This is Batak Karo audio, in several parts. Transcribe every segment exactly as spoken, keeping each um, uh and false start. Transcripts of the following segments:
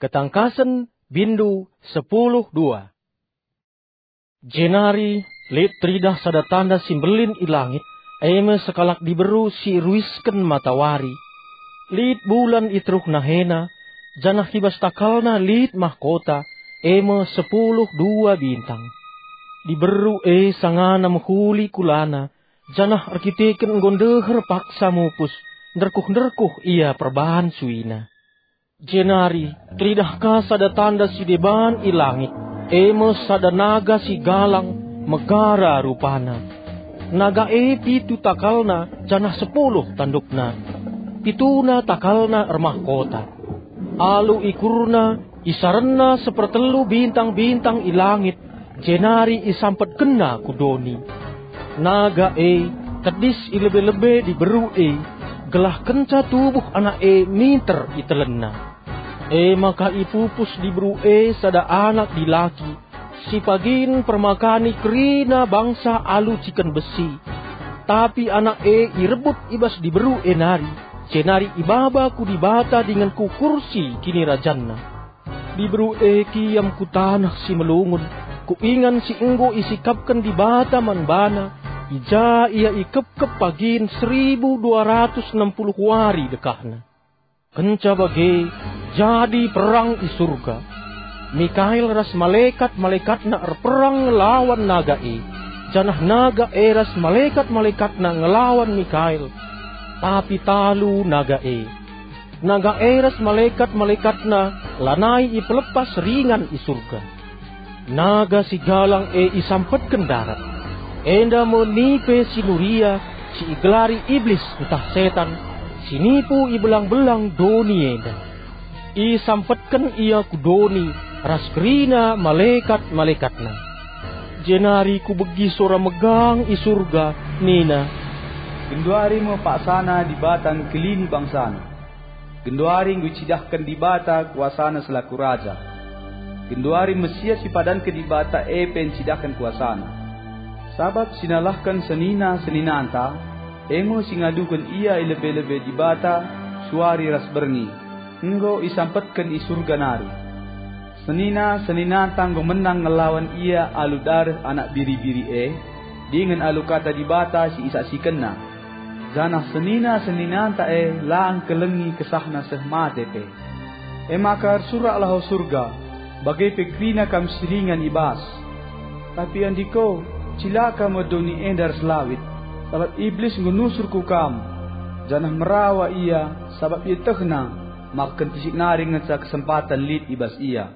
Ketangkasen, bindu sepuluh dua. Jenari lit teridah sada tanda si mbelin i langit, e me sekalak diberu si iruisken matawari. Lit bulan i teruh nahena, janah i bas takalna lit mahkota, e me sepuluh dua bintang. Diberu e sangana mehuli kulana, janah erkiteken enggo ndeher paksa mupus, nderkuh-nderkuh ia perbahan suina. Jenari teridah ka sada tanda si deban i langit, e me sada naga si galang, megara rupana. Naga e pitu takalna janah sepuluh tandukna. Pituna takalna ermahkota. Alu ikurna, isarenna sepertelu bintang-bintang i langit, jenari isampetkenna ku doni. Naga e tedis i lebe-lebe diberu e, gelah kenca tubuh anak e minter itelenna. E maka ipupus diberu e sada anak dilaki, si pagin permakani kerina bangsa alu ciken besi. Tapi anak e irebut i bas diberu e nari, jenari ibaba ku Dibata dingen ku kursi kinirajanna. Diberu e kiam ku taneh si melungun, ku ingan si enggo isikapken Dibata man bana, i ja ia ikepkep pagin seribu dua ratus enam puluh wari dekahna. Kenca bage, jadi perang i Surga. Mikael ras malekat-malekatna erperang ngelawan naga e, janah naga e ras malekat-malekatna ngelawan Mikael, tapi talu naga e. Naga e ras malekat-malekatna lanai ipelepas ringan i Surga. Naga si galang e isampetken darat. Enda me nipe si nuria, si igelari Iblis ntah Setan, si nipu i belang-belang doni enda. Isampetken ia ku doni ras kerina malekat-malekatna. Jenari kubegi sora megang i Surga nina, "Genduari me paksana Dibata ngkelini bangsaNa. Genduari enggo icidahken Dibata kuasaNa selaku Raja. Genduari Mesias si ipadanken Dibata e pe ncidahken kuasaNa. Sabap si nalahken senina-seninanta, e me si ngaduken ia i lebe-lebe Dibata suari ras berngi, enggo isampetken i Surga nari. Senina-seninanta enggo menang ngelawan ia alu dareh Anak Biri-biri e, dingen alu Kata Dibata si isaksikenna. Janah senina-seninanta e la engkelengi kesahna seh mate pe. E maka ersuraklah, o Surga, bage pe kerina kam si ringan i bas. Tapi andiko, cilaka me doni enda ras lawit, sabap Iblis enggo nusur ku kam, janah merawa ia, sabap ietehna maka kentisik nari ngenca kesempaten lit i bas ia."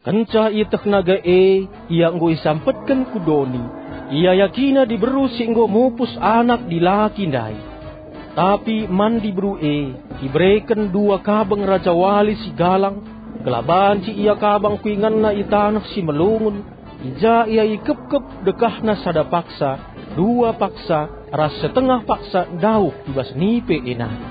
Kenca ieteh naga e, ia enggo isampetken ku doni. Iayakina diberu si enggo mupus anak dilaki ndai. Tapi man diberu e ibereken dua kabang rajawali si galang, gelah banci ia kabang ku inganna i taneh si melungun, i ja ia ikepkep dekahna sada paksa, dua paksa, ras setengah paksa dauh i bas nipe e nari.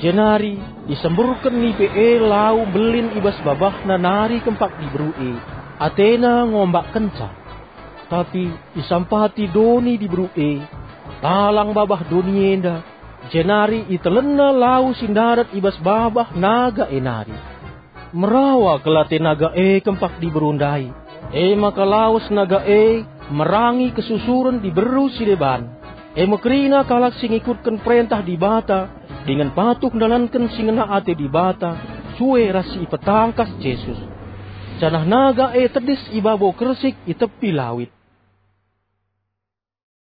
Jenari isemburken nipe e lau mbelin i bas babahna nari kempak diberu e, atena ngombakkenca. Tapi isampati doni diberu e, talang babah doni enda, jenari itelenna lau si ndarat i bas babah naga e nari. Merawa kal ate naga e kempak diberu ndai. E maka lawes naga e merangi kesusuren diberu si deban. E me kerina kalak si ngikutken perentah Dibata dingen patuh ndalanken si ngena ate Dibata, sue ras si ipetangkas Jesus. Janah naga e tedis i babo kersik i tepi lawit.